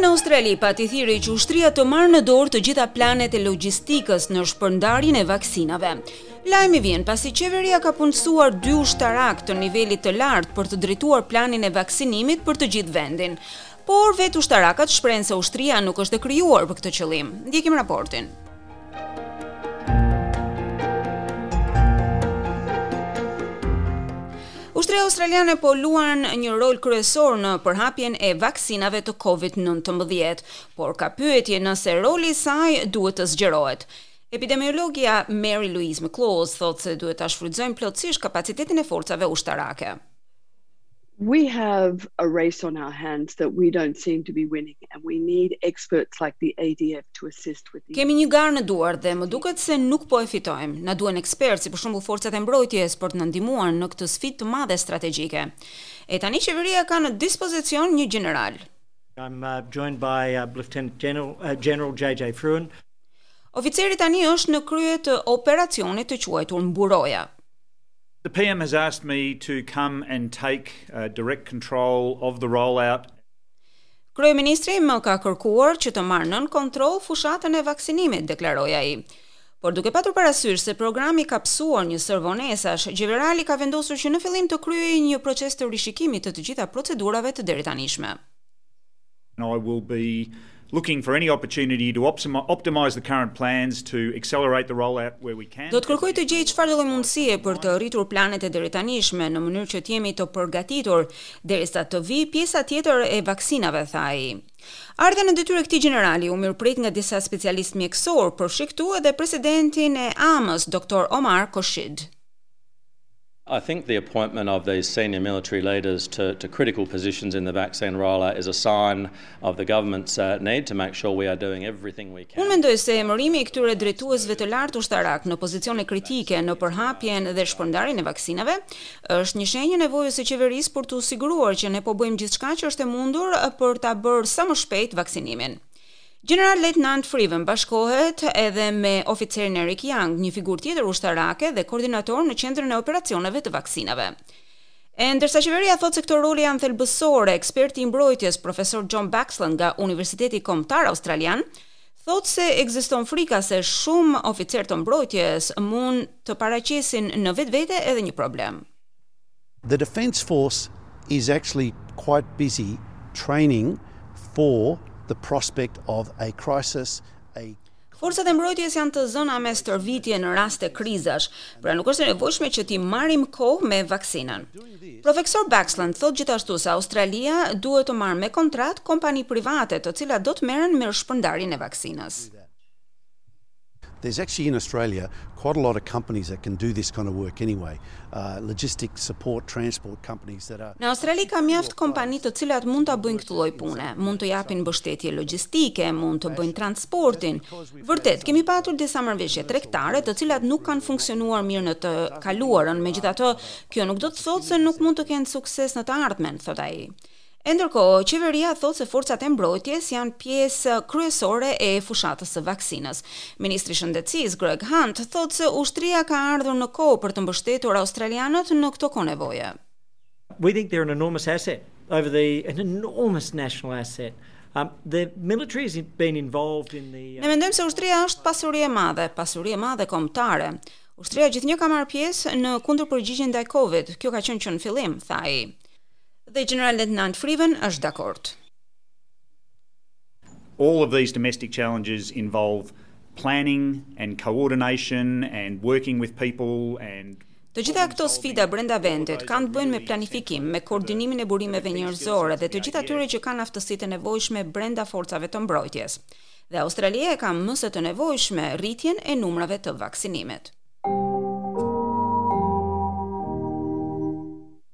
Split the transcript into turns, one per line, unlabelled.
Mbrëmë në Australi pati thirrje që ushtria të marrë në dorë të gjitha planet e logjistikës në shpërndarjen e vaksinave. Lajmi vjen pasi qeveria ka punësuar dy ushtarakë të nivelit të lartë për të drejtuar planin e vaksinimit për të gjithë vendin. Por vetë ushtarakët shprehen se ushtria nuk është e krijuar për këtë qëllim. Ndjekim raportin. Ushtria australiane po luan një rol kryesor në përhapjen e vaksinave të COVID-19, por ka pyetje nëse roli i saj duhet të zgjerohet. Epidemiologia Mary Louise McLaws thotë se duhet ta shfrytëzojmë plotësisht kapacitetin e forcave ushtarake.
We have a race on our hands that we don't seem to be winning and we need experts like the ADF to assist with
the Kemi një garë në duar dhe më duket se nuk po e fitojmë. Na duhen ekspertë, si për shembull forcat e mbrojtjes për të na ndihmuar në këtë sfidë të madhe strategjike. E tani qeveria ka në dispozicion një gjeneral.
I'm uh, joined by uh, Lieutenant General, uh, General JJ Frewen.
Oficeri tani është në krye të operacionit të quajtur Mburoja.
The PM has asked me to come and take uh, direct control of the rollout.
Kryeministri më ka kërkuar që të marr nën kontroll fushatën e vaksinimit, deklaroi ai. Por duke patur parasysh se programi ka pësuar një sërë vonesash, gjenerali ka vendosur që në fillim të kryejë një proces të rishikimit të të gjitha procedurave të deritanishme.
And I will be looking for any opportunity to optimize the current plans to accelerate the rollout where we can.
Do të kërkoj të gjej çfarëdo lloj mundësie për të rritur planet e deritanishme në mënyrë që të jemi të përgatitur derisa të vijë pjesa tjetër e vaksinave, tha ai. Ardhja në detyrë e këtij gjenerali u mirëprit nga disa specialistë mjekësorë, përfshi këtu edhe presidentin e AMA-s, Dr. Omar Khorshid.
I think the appointment of these senior military leaders to, to critical positions in the vaccine rollout is a sign of the government's uh, need to make sure we are doing everything we can.
Unë mendoj se emërimi i këtyre drejtuesve të lartë ushtarak në pozicione kritike në përhapjen dhe shpërndarjen e vaksinave është një shenjë e nevojës së qeverisë për t'u siguruar që ne po bëjmë gjithçka që është e mundur për ta bërë sa më shpejt vaksinimin. Gjeneral Lejtnant Frewen bashkohet edhe me oficerin Eric Young, një figurë tjetër ushtarake dhe koordinator në qendrën e operacioneve të vaksinave. E ndërsa qeveria thotë se këto role janë thelbësore, eksperti i mbrojtjes profesor John Blaxland nga Universiteti Kombëtar Australian thotë se ekziston frika se shumë oficerë të mbrojtjes mund të paraqesin në vetvete edhe një problem.
The Defence Force is actually quite busy training for the prospect of a crisis, a
Forcat e mbrojtjes janë të zëna me stërvitje në raste krizash, pra nuk është e nevojshme që t'i marrim kohë me vaksinën. Profesor Blaxland thotë gjithashtu se Australia duhet të marrë me kontratë kompani private të cilat do të merren me shpërndarjen e vaksinës.
There's actually in Australia quite a lot of companies that can do this kind of work anyway. Uh, logistic support, transport companies that are
Në Australi ka mjaft kompani të cilat mund ta bëjnë këtë lloj pune, mund të japin mbështetje logjistike, mund të bëjnë transportin. Vërtet, kemi patur disa marrëveshje tregtare të cilat nuk kanë funksionuar mirë në të kaluarën, megjithatë, kjo nuk do të thotë se nuk mund të kenë sukses në të ardhmen, thotë ai. E ndërkohë, qeveria thotë se forcat e mbrojtjes janë pjesë kryesore e fushatës së vaksinës. Ministri i Shëndetësisë Greg Hunt thotë se ushtria ka ardhur në kohë për të mbështetur australianët në këto kohë nevoje.
We think they're an enormous asset over the an enormous national asset. Um, the military has been involved in the
uh, Ne mendojmë se ushtria është pasuri e madhe, pasuri e madhe kombëtare. Ushtria gjithnjë ka marrë pjesë në kundërpërgjigjen ndaj Covid. Kjo ka qenë që në fillim, tha ai. Dhe General Lieutenant Frewen është dakord.
All of these domestic challenges involve planning and coordination and working with people and
Të gjitha këto sfida brenda vendit kanë të bëjnë me planifikim, me koordinimin e burimeve njerëzore dhe të gjithë atyre që kanë aftësitë e nevojshme brenda forcave të mbrojtjes. Dhe Australia e ka më se të nevojshme rritjen e numrave të vaksinimit.